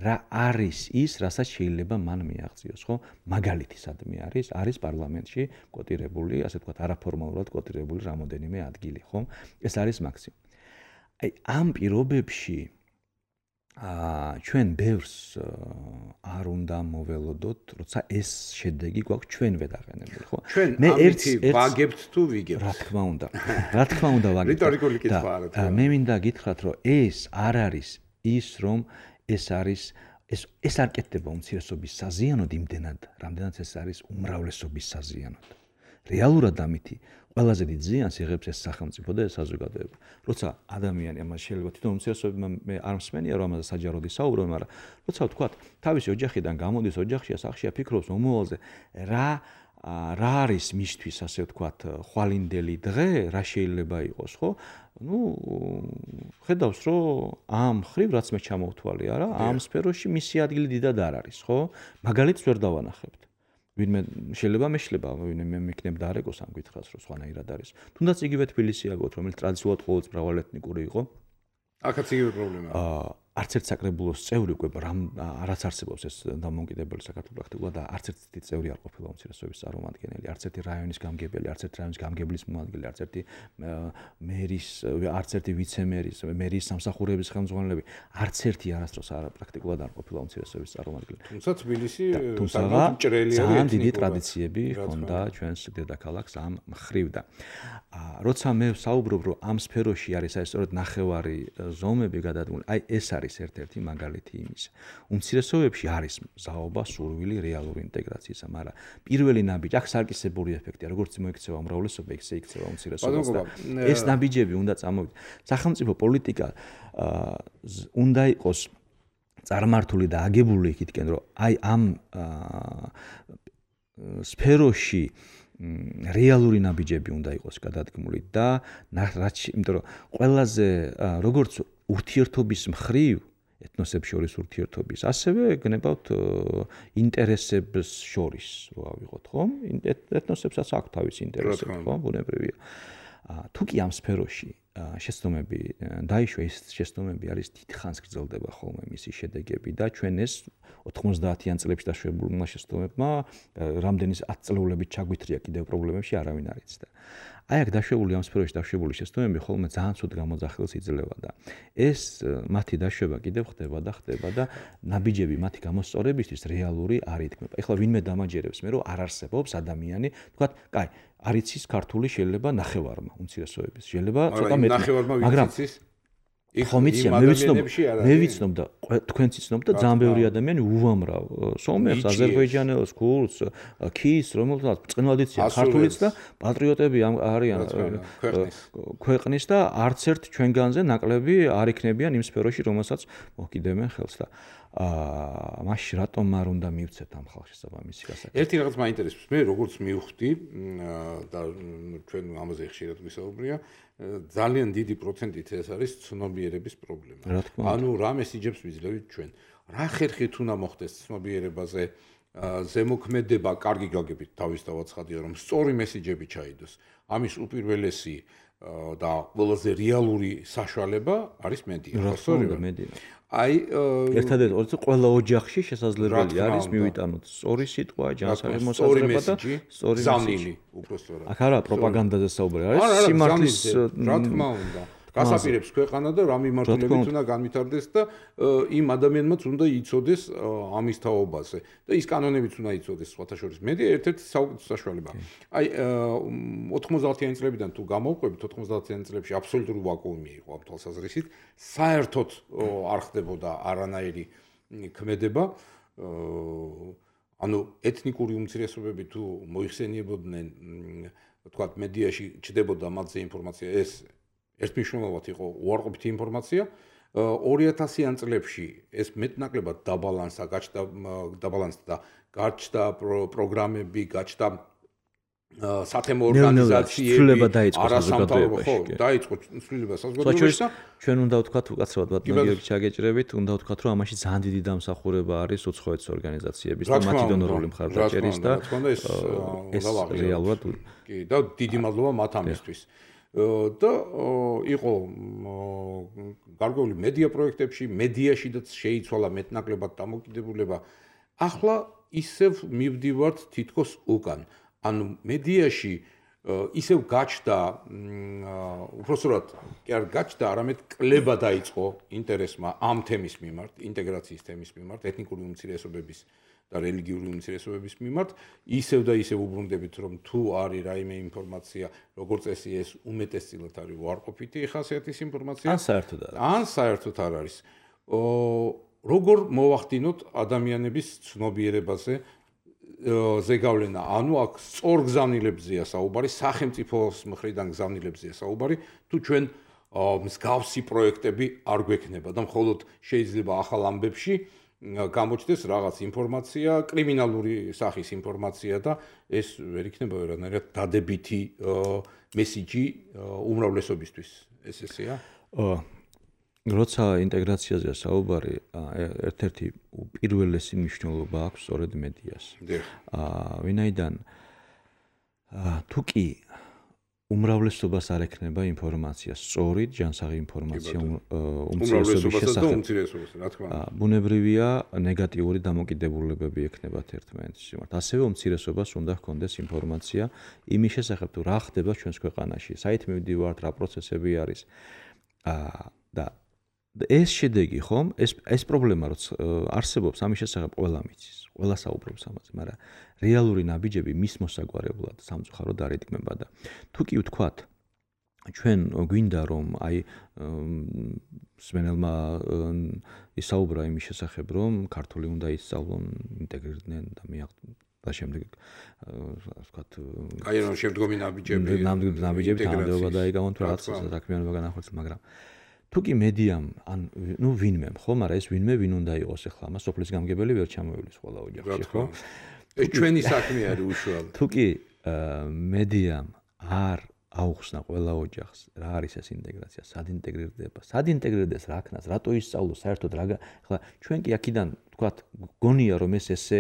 რა არის ის, რასაც შეიძლება მან მიაღწიოს, ხო? მაგალითი სადმე არის პარლამენტში კოტირებული, ასე თქვა, არაფორმალურად კოტირებული რამოდენიმე ადგილი, ხო? ეს არის მაქსიმუმი. აი, ამ პირობებში ჩვენ ბევრს არ უნდა მოველოდოთ, როცა ეს შედეგი გვაქვს ჩვენ ვედაყენებული, ხო? მე ერთი ვაგებთ თუ ვიგებთ? რა თქმა უნდა. რა თქმა უნდა ვაგებთ. რიტორიკული კითხვა არა თუ? მე მინდა გითხრათ, რომ ეს არ არის ის, რომ ეს არის ეს არ კეთდება უმცირესობის საზიანოდ იმდენად, რამდენად ეს არის უმრავლესობის საზიანოდ. რეალურად ამითი ყველაზე დიდ ზიანს იღებს ეს სახელმწიფო და ეს საზოგადოება. როცა ადამიანი ამას შეიძლება თვითონ უმცირესობებმა მე არ მსმენია რომ ამაზე საჯაროდ ისაუბრონ, მაგრამ როცა ვთქვათ, თავისი ოჯახიდან გამოდის, ოჯახშია, სახლშია, ფიქრობს მომავალზე, რა არის მისთვის, ასე ვთქვათ, ხვალინდელი დღე, რა შეიძლება იყოს, ხო? ხედავს, რომ ამ ხრივ რაც მე ჩამოვთვალე, არა, ამ სფეროში მისი ადგილი დიდად არ არის, ხო? მაგალითს ვერ დავანახებთ. ვინმე შეიძლება მეშლება, ვინმე მეკნებ და არეკოს ამ კითხვას, რომ სხვანაირად არის. თუნდაც იგივე თბილისი აგოთ, რომელიც ტრადიციულად ყოველთვის მრავალეთნიკური იყო. აქაც იგივე პრობლემაა. არც ერთ საკრებულოს წევრი უკვე არაც არსებობს ეს დამოუკიდებელი საქართველოს პრაქტიკულად და არც ერთი წევრი არ ყოფილა უმცირესობების წარმომადგენელი, არც ერთი რაიონის გამგებელი, არც ერთი რაიონის გამგებლის მოადგილე, არც ერთი მერის, არც ერთი ვიცემერის, მერის სამსახურების ხელმძღვანელები, არც ერთი არასდროს პრაქტიკულად არ ყოფილა უმცირესობების წარმომადგენელი. თუმცა თბილისი ძალიან დიდი ტრადიციები ჰქონდა ჩვენს დედაქალაქს ამ მხრივ და როცა მე საუბრობ, რომ ამ სფეროში არის აი სწორედ ნახევარი ზომები გადადგმული, აი ეს არის ერთ-ერთი მაგალითი იმისა. უმცირესობებში არის მზაობა, სურვილი რეალური ინტეგრაციისა, მაგრამ პირველი ნაბიჯი, აქ სარკისებური ეფექტია, როგორც მოიქცევა უმრავლესობა, ისე იქცევა უმცირესობას და ეს ნაბიჯები უნდა წამოვიდეთ. სახელმწიფო პოლიტიკა უნდა იყოს წარმართული და აგებული იქითკენ, რომ აი ამ სფეროში რეალური ნაბიჯები უნდა იყოს გადადგმული და იმიტომ რომ ყველაზე როგორც ურთიერთობის მხრივ ეთნოსებს შორის ურთიერთობის, ასევე გნებავთ ინტერესებს შორის რო ავიღოთ, ხო? ეთნოსებსაც აქვს თავისი ინტერესები, ხო? ბუნებრივია. თუ კი ამ სფეროში შეცდომები დაიშვა, ეს შეცდომები არის დიდხანს გრძელდება ხოლმე მისი შედეგები და ჩვენ ეს 90-იან წლებში დაშვებულმა შეცდომებმა რამდენი 10 წლეულებით ჩაგვითრია კიდევ პრობლემებში არავინ არ იცდა. აი აქ დაშვებული ამ სფეროში დაშვებული შეცდომები ხოლმე ძალიან ცუდ გამოძახილს იძლევა და ეს მათი დაშვება კიდევ ხდება და ნაბიჯები მათი გამოსწორებისთვის რეალური არ ითქმება. ეხლა ვინმე დამაჯერებს მე რომ არ არსებობს ადამიანი, თქვათ, კაი, არ იცის ქართული შეიძლება ნახევარმა უმცირესობების, შეიძლება ცოტა მეტი, მაგრამ ხომ იციან, მე ვიცნობ და თქვენც იცნობ და ძალიან ბევრი ადამიანი უამრავ სომეხს, აზერბაიჯანელს, ქურდს, ქის, რომელთაც წყნვალად იციან ქართულიც და პატრიოტები არიან ქვეყნის და არც ერთ ჩვენგანზე ნაკლები არ იქნებიან იმ სფეროში, რომელსაც მოკიდებენ ხელს და მაშინ რატომ არ უნდა მივცეთ ამ ხალხს შესაბამისი გასაკეთებლად? ერთი რაღაც მაინტერესებს, მე როგორც მივხვდი და ჩვენ ამაზე ხშირად ვისაუბრია, ძალიან დიდი პროცენტით ეს არის ცნობიერების პრობლემა. ანუ რა მესიჯებს ვიძლევით ჩვენ? რა ხერხით უნდა მოხდეს ცნობიერებაზე ზემოქმედება, კარგი გაგებით თავისთავად ცხადია, რომ სწორი მესიჯები ჩაიდოს. ამის უპირველესი და ყველაზე რეალური საშუალება არის მედია. მედია. აი ერთადერთი ყველა ოჯახში შესაძლებელი არის მივიტანოთ სწორი სიტყვა, ჯანსაღი მოსაზრება და სწორი მესიჯი. უпростоრად. აქ არა პროპაგანდაზე საუბარი არის, სიმართლის რა თქმა უნდა. გასაპირებს ქვეყანა და რა მიმართულებით უნდა განვითარდეს და იმ ადამიანმაც უნდა იცოდეს ამის თაობაზე და ის კანონებიც უნდა იცოდეს სხვათა შორის. მედია ერთ-ერთი საშუალებაა. აი 90-იან წლებიდან თუ გამოვყვებით, 90-იან წლებში აბსოლუტური ვაკუუმი იყო ამ თვალსაზრისით. საერთოდ არ ხდებოდა არანაირი ქმედება. ანუ ეთნიკური უმცირესობები თუ მოიხსენიებოდნენ, თქვათ, მედიაში ჩდებოდა მათზე ინფორმაცია, ეს ერთმნიშვნელოვნად იყო უარყოფითი ინფორმაცია, 2000-იან წლებში ეს მეტნაკლებად დაბალანსდა, გაჩნდა პროგრამები, გაჩნდა სათემო ორგანიზაციები, არასამთავრობო, ხო, დაიწყო ცვლილება საზოგადოებაში. ჩვენ უნდა ვთქვათ, უკაცრავად მაგიერ ჩაგეჭრებით, უნდა ვთქვათ, რომ ამაში ძალიან დიდი დამსახურება არის უცხოეთის ორგანიზაციების და მათი დონორული მხარდაჭერის და ეს რეალურად კი, და დიდი მადლობა მათ ამისთვის. და იყო გარკვეული მედია პროექტებში, მედიაშიდაც შეიცვალა მეტნაკლებად დამოკიდებულება. ახლა ისევ მივდივართ თითქოს უკან. ანუ მედიაში ისევ გაჩნდა უბრალოდ კი არ გაჩნდა, არამედ კლება დაიწყო ინტერესმა ამ თემის მიმართ, ინტეგრაციის თემის მიმართ, ეთნიკური უმცირესობების და რელიგიური უმცირესობების მიმართ, ისევ და ისევ უბრუნდებით, რომ თუ არის რაიმე ინფორმაცია, როგორც წესი ეს უმეტესწილად არის უარყოფითი ხასიათის ინფორმაცია, ან საერთოდ არ არის. როგორ მოვახდინოთ ადამიანების ცნობიერებაზე ზეგავლენა, ანუ აქ სწორ გზავნილებზეა საუბარი, სახელმწიფოს მხრიდან გზავნილებზეა საუბარი, თუ ჩვენ მსგავსი პროექტები არ გვექნება და მხოლოდ შეიძლება ახალ ამბებში გამოჩნდეს რაღაც ინფორმაცია, კრიმინალური სახის ინფორმაცია და ეს ვერ იქნება ვერანაირად დადებითი მესიჯი უმრავლესობისთვის. ესეა? როცა ინტეგრაციაზეა საუბარი, ერთ-ერთი პირველესი მნიშვნელობა აქვს სწორედ მედიას. ვინაიდან თუ კი უმრავლესობას არ ექნება ინფორმაცია, სწორი ჯანსაღი ინფორმაცია უმცირესობის შესახებ. ბუნებრივია ნეგატიური დამოკიდებულებები ექნებათ ერთმანეთის მიმართ. ასევე უმცირესობას უნდა ჰქონდეს ინფორმაცია იმის შესახებ, თუ რა ხდება ჩვენს ქვეყანაში, საით მივდივართ, რა პროცესები არის. და ეს შედეგი ხომ, ეს პრობლემა რაც არსებობს, ამის შესახებ ყველა მიცის, ყველა საუბრობს ამაზე, მაგრამ რეალური ნაბიჯები მის მოსაგვარებლად სამწუხაროდ არ იდგმება და თუ კი ვთქვათ, ჩვენ გვინდა რომ აი სვენელმა ისაუბრა იმის შესახებ, რომ ქართული უნდა ისწავლონ, ინტეგრირდნენ და და შემდეგ ვთქვათ, აი რომ შემდგომი ნაბიჯები თანამდებობა დაიგავონ თუ რაღაც საქმიანობა განახორციელოს, მაგრამ თუ კი მედიამ ან ვინმე ხო, მაგრამ ეს ვინმე ვინ უნდა იყოს ახლა ამას სოფლის გამგებელი ვერ ჩამოივლის ყველა ოჯახში, ხო? ეს ჩვენი საქმე არის უშუალოდ. თუ კი მედიამ არ აუხსნა ყველა ოჯახს, რა არის ეს ინტეგრაცია, სად ინტეგრირდება, სად ინტეგრირდეს, რა ქნას, რატო ისწავლოს, საერთოდ რა ახლა ჩვენ კი აქედან ვთქვათ, გონია რომ ესე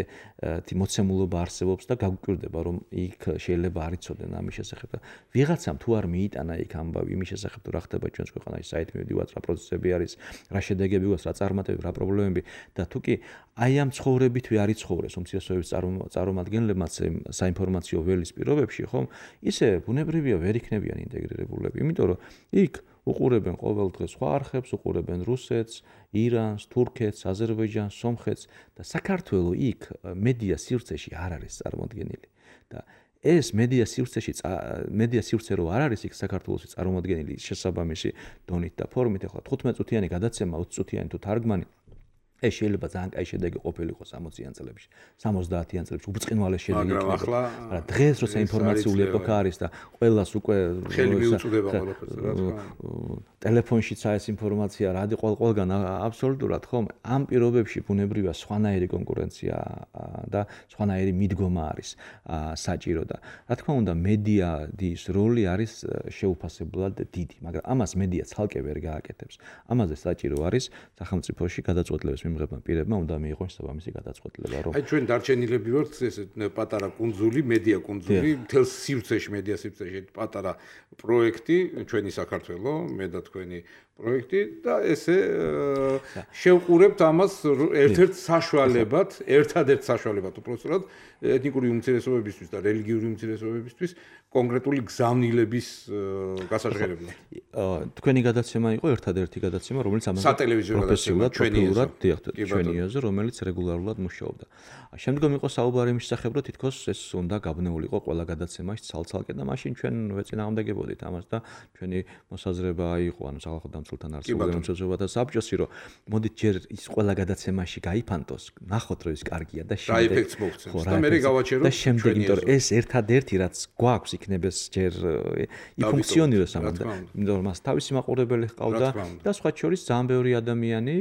მოცემულობა არსებობს და გაგვკვირდება რომ იქ შეიძლება არ იცოდნენ ამის შესახებ და ვიღაცამ თუ არ მიიტანა იქ ამბავი იმის შესახებ თუ რა ხდება ჩვენს ქვეყანაში, საით მივდივართ, რა პროცესები არის, რა შედეგები გვაქვს, რა წარმატებები, რა პრობლემები და თუ კი აი ამ ცხოვრებითვე არ იცხოვრეს უმცირესობების წარმომადგენლებმაც საინფორმაციო ველის პირობებში, ხომ? ისე ბუნებრივია ვერ იქნებიან ინტეგრირებულები, იმიტომ რომ იქ უყურებენ ყოველ დღე სხვა არხებს, უყურებენ რუსეთს, ირანს, თურქეთს, აზერბაიჯანს, სომხეთს და საქართველოს იქ მედია სივრცეში არ არის წარმოდგენილი. და ეს მედია სივრცე რო არ არის იქ საქართველოსი წარმოდგენილი შესაბამისი დონით და ფორმით, ახლა 15 წუთიანი გადაცემა, 20 წუთიანი თუ თარგმანი ეს შეიძლება ძალიან კაი შედეგი ყოფილიყო 60-იან წლებში, 70-იან წლებში უბრწყინვალე შედეგი იქნება. მაგრამ დღეს როცა ინფორმაციული ეპოქა არის და ყველას უკვე ხელი მიუწვდება ყველაფერს, რა თქმა უნდა. ტელეფონშიც ეს ინფორმაცია რადი ყველგან აბსოლუტურად ხომ? ამ პირობებში ბუნებრივია სხვანაირი კონკურენცია და სხვანაირი მიდგომა არის საჭირო და რა თქმა უნდა მედიის როლი არის შეუფასებლად დიდი, მაგრამ ამას მედია ცალკე ვერ გააკეთებს. ამაზე საჭირო არის სახელმწიფოში გადაწყვეტილების მიმღებმა პირებმა უნდა მიიღონ საბამისი გადაწყვეტილება, რომ აი ჩვენ დარჩენილები ვართ ეს პატარა კუნძული, მედია კუნძული, მთელს სივრცეში, მედია სივრცეში პატარა პროექტი, ჩვენი საქართველო, მე და თქვენი პროექტი და ესე შევყურებთ ამას ერთ-ერთ საშუალებად, ერთადერთ საშუალებად უпростоრად ეთნიკური უმცირესობებისთვის და რელიგიური უმცირესობებისთვის კონკრეტული გზავნილების გასაჟღერებლად. თქვენი გადაცემა იყო ერთადერთი გადაცემა, რომელიც ამაზე სატელევიზიო გადაცემა ჩვენი შეხვდეთ ჩვენი ეზო, რომელიც რეგულარულად მუშაობდა. შემდგომ იყო საუბარი იმის შესახებ, რომ თითქოს ეს უნდა გაბნეულიყო ყველა გადაცემაში ცალ-ცალკე და მაშინ ჩვენ ვეწინააღმდეგებოდით ამას და ჩვენი მოსაზრება იყო, ანუ სახალხო დამცველთან არსებულ ემოციებათა საბჭოსი, რომ მოდით ჯერ ის ყველა გადაცემაში გაიფანტოს, ნახოთ რომ ის კარგია და შემდეგ ეფექტს მოგცემს და მე გავაჩერო და შემდეგ, იმიტომ რომ ეს ერთადერთი რაც გვაქვს იქნებს ჯერ იფუნქციონიროს ამაზე, იმიტომ რომ მას თავისი მაყურებელი ჰყავდა და სხვა შორის ძალიან ბევრი ადამიანი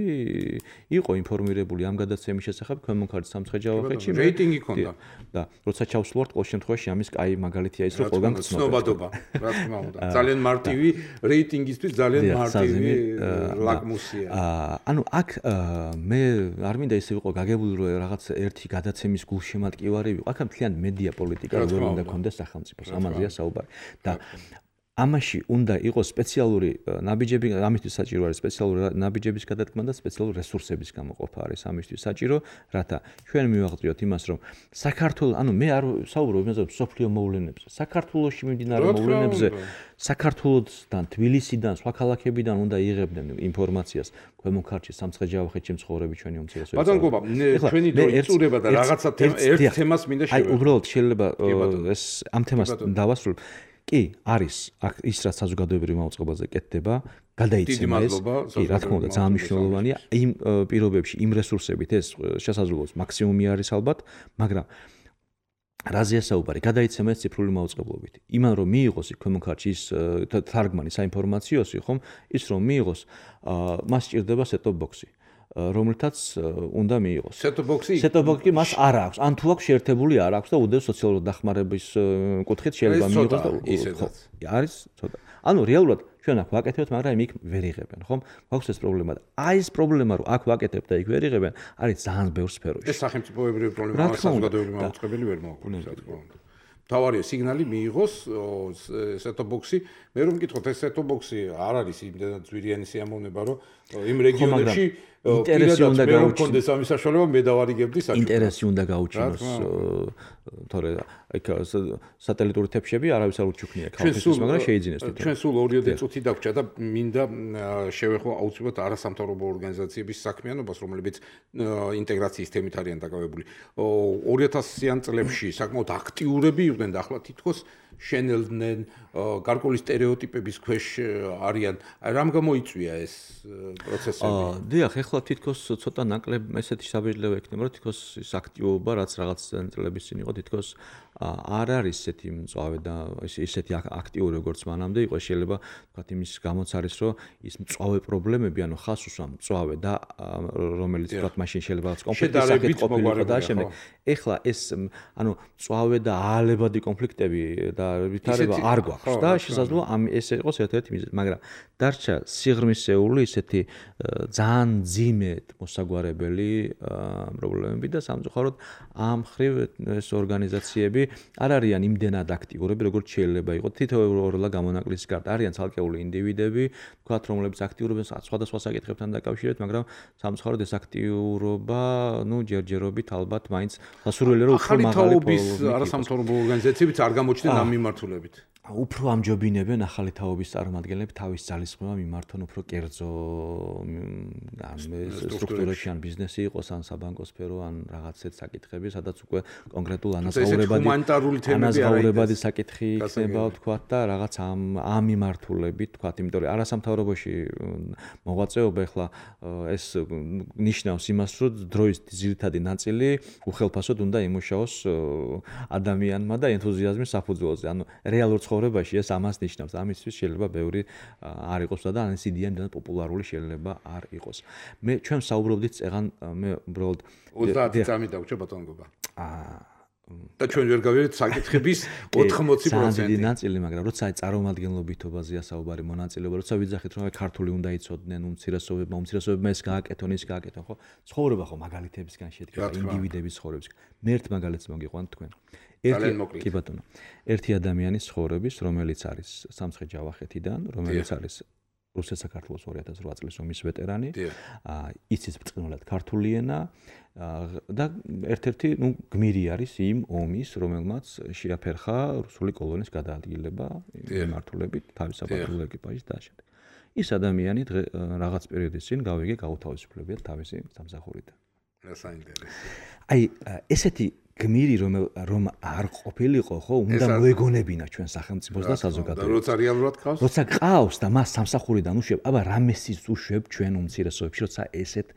იყო ინფორმირებული ამ გადაცემის შესახებ ქვემონქართ სამცხე-ჯავახეთში რეიტინგი ქონდა და როცა ჩავსვლართ ყოველ შემთხვევაში ამის კაი მაგალითია ის რომ ყველგან ცნობადობა რა თქმა უნდა ძალიან მარტივი რეიტინგისთვის ძალიან მარტივი ლაკმუსია ანუ აქ მე არ მინდა ისე ვიყო გაგებული რომ რაღაც ერთი გადაცემის გულშემატკივარი ვიყო აქ მთლიან მედია პოლიტიკა როგორ უნდა კონდეს სახელმწიფოს ამაზეა საუბარი და ამაში უნდა იყოს სპეციალური ნაბიჯები, ამისთვის საჭირო არის სპეციალური ნაბიჯების გადადგმა და სპეციალური რესურსების გამოყოფა არის ამისთვის საჭირო, რათა ჩვენ მივაღწიოთ იმას, რომ საქართველოს, ანუ მე არ საუბრობ იმაზე, რომ სოფლიო მოვლენებზე, საქართველოში მიმდინარე მოვლენებზე, საქართველოსთან, თბილისიდან, სხვა ქალაქებიდან უნდა იღებდნენ ინფორმაციას ქვემონქართში, სამცხე-ჯავახეთში მცხოვრები ჩვენი უმცირესობები. ბატონო გობა, ჩვენი დრო იწურება და რაღაცა ერთ თემას მინდა შევეძო. აი, უბრალოდ შეიძლება ეს ამ თემას დავასრულებ. კი, არის ის რაც საზოგადოებრივ მაუწყებელზე კეთდება, გადაიცემა ეს. კი, რა თქმა უნდა, ძალიან მნიშვნელოვანია. იმ პირობებში, იმ რესურსებით ეს შესაძლოა მაქსიმუმი არის ალბათ, მაგრამ რაზეა საუბარი? გადაიცემა ეს ციფრული მაუწყებლობით. იმან რომ მიიღოს ქვემონქართში ის თარგმანი საინფორმაციოსი, ხომ? ის რომ მიიღოს, მას სჭირდება set-top box-ი. რომელთაც უნდა მიიღოს. Set-top box-ი მას არ აქვს. ან თუ აქვს შეერთებული არ აქვს და უდევს სოციალური დახმარების კუთხით შეიძლება მიიღოს და ისედაც. არის ცოტა. ანუ რეალურად ჩვენ აქ ვაკეთებთ, მაგრამ იქ ვერ იღებენ, ხომ? გვაქვს ეს პრობლემა და აი ეს პრობლემა რომ აქ ვაკეთებთ და იქ ვერ იღებენ, არის ძალიან ბევრ სფეროში. ეს სახელმწიფოებრივი პრობლემაა, საზოგადოებრივი მაუწყებელი ვერ მოაქვს, რა თქმა უნდა. თავარია სიგნალი მიიღოს set-top box-ი. მე რომ მკითხოთ ეს set-top box-ი არ არის იმდენად ძვირიანი სიამოვნება, რომ იმ რეგიონებში ინტერესი უნდა გაუჩინოს ამის საშუალება მე დავარიგებდი საჭიროა. ინტერესი უნდა გაუჩინოს, თორე აი სატელიტური თეფშები არავის არ უჩუქნია ქალისთვის, მაგრამ შეიძინეს თვითონ. ჩვენ სულ 2 წუთი დაგვრჩა და მინდა შევეხო აუცილებლად არასამთავრობო ორგანიზაციების საქმიანობას, რომლებიც ინტეგრაციის თემით არიან დაკავებული. 2000-იან წლებში საკმაოდ აქტიურები იყვნენ და ახლა თითქოს შენელდნენ გარკვეული სტერეოტიპების ქვეშ არიან. აი რამ გამოიწვია ეს პროცესები? დიახ, ეხლა თითქოს ცოტა ნაკლებ ესეთი საბეჭდილება ექნება, რომ თითქოს ის აქტივობა, რაც რაღაც წლების წინ იყო, თითქოს არ არის ესეთი მწვავე და ესეთი აქტიური როგორც მანამდე იყო. შეიძლება ვთქვათ იმის გამოც არის, რომ ის მწვავე პრობლემები, ანუ ხას უსვამ მწვავე და რომელიც ვთქვათ მაშინ შეიძლება კონფლიქტის სახით ყოფილიყო და შემდეგ. ეხლა ეს ანუ მწვავე და აალებადი კონფლიქტები და ვითარება არ გვაქვს და შესაძლოა ეს იყოს ერთ-ერთი მიზეზი, მაგრამ დარჩა სიღრმისეული ისეთი ძალიან ძიმედ მოსაგვარებელი პრობლემები და სამწუხაროდ ამ ხრივ ეს ორგანიზაციები არ არიან იმდენად აქტიურები, როგორც შეიძლება იყოს. თითოეულა გამონაკლისის გარდა არიან ცალკეული ინდივიდები, თქვათ, რომლებიც აქტიურობენ სხვადასხვა საკითხებთან დაკავშირებით, მაგრამ სამწუხაროდ ეს აქტიურობა, ჯერჯერობით ალბათ მაინც სასურველია, რომ უფრო მაღალი თაობის არასამთავრობო ორგანიზაციებიც არ გამოჩნდნენ ამ მიმართულებით. უფრო ამჯობინებენ ახალი თაობის წარმომადგენლები თავის ძალისხმევა მიმართონ უფრო კერძო სტრუქტურებში ან ბიზნესი იყოს ან საბანკო სფერო ან რაღაცეთ საკითხები, სადაც უკვე კონკრეტულ ანაზღაურებადი საკითხი იქნება, ვთქვათ და რაღაც ამ მიმართულებით, ვთქვათ, იმიტომ რომ არასამთავრობოში მოღვაწეობა ახლა ეს ნიშნავს იმას, რომ დროის ძირითადი ნაწილი უხელფასოდ უნდა იმუშაოს ადამიანმა და ენთუზიაზმის საფუძველზე. ანუ რეალურ ცხოვრებაში ეს ამას ნიშნავს. ამისთვის შეიძლება ბევრი არ იყოს და ან ეს იდეა იმდენად პოპულარული შეიძლება არ იყოს. ჩვენ საუბრობდით წეგან მე უბრალოდ 30 წამი დაგვრჩა ბატონო გობა. და ჩვენ ვერ გავიარეთ საკითხების 80%. ძალიან დიდი ნაწილი, მაგრამ როცა წარმომადგენლობითობაზეა საუბარი, მონაწილეობა, როცა ვიძახით რომ ქართული უნდა იცოდნენ უმცირესობებმა ეს გააკეთონ, ის გააკეთონ, ხო? ცხოვრება ხო მაგალითებისგან შედგება, ინდივიდების ცხოვრებისგან. მე ერთ მაგალითს მოგიყვანთ თქვენ. კი ბატონო. ერთი ადამიანის ცხოვრების, რომელიც არის სამცხე-ჯავახეთიდან, რომელიც არის რუსეთ-საქართველოს 2008 წლის ომის ვეტერანი, იცის ბრწყინვალედ ქართული ენა და ერთ-ერთი, გმირი არის იმ ომის, რომელმაც შეაფერხა რუსული კოლონიის გადაადგილება მიმართულებით თავის საფეხბურთო ეკიპაჟის და შემდეგ. ის ადამიანი რაღაც პერიოდის წინ გაუთავისუფლებიათ თავისი სამსახურიდან. აი ესეთი გმირი რომ არ ყოფილიყო ხო უნდა მოეგონებინა ჩვენ სახელმწიფოს და საზოგადოებას. როცა რეალურად ყავს? როცა ყავს და მას სამსახურიდან უშვებ, აბა რამესის უშვებ ჩვენ უმცირესობებში, როცა ესეთ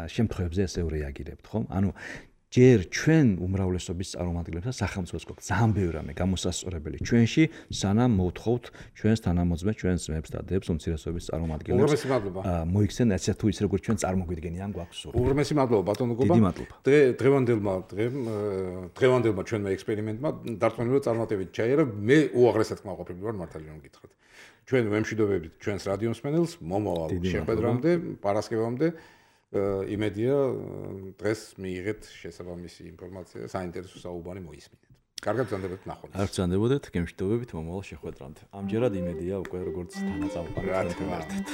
შემთხვევებზე ესე რეაგირებთ, ხო? ანუ ჯერ ჩვენ უმრავლესობის წარმომადგენლებსა სახელმწიფოს გვაქვს ძალიან ბევრი რამე გამოსასწორებელი ჩვენში, სანამ მოვთხოვთ ჩვენს თანამოძმეს, ჩვენს ძმებს და დებს უმცირესობის წარმომადგენლებს. მოიქცენ ასე თუ ის როგორც ჩვენ წარმოგვიდგენიან გვაქვს სულ. უღრმესი მადლობა ბატონო გობა. დიდი მადლობა. დღევანდელმა ჩვენმა ექსპერიმენტმა დარწმუნებულად წარმატებით ჩაიარა. მე უაღრესად კმაყოფილი ვარ მართალი რომ გითხრათ. ჩვენ ვემშვიდობებით ჩვენს რადიო მსმენელს მომავალ შეხვედრამდე, პარასკევამდე. იმედია დღეს მიიღეთ შესაბამისი ინფორმაცია, საინტერესო საუბარი მოისმინეთ. კარგად ბრძანდებოდეთ ნახვას. არ ბრძანდებოდეთ, გემშვიდობებით მომავალ შეხვედრამდე. ამჯერად იმედია უკვე როგორც თანაწამყვანი თქვენთან ერთად.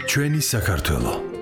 ჩვენი საქართველო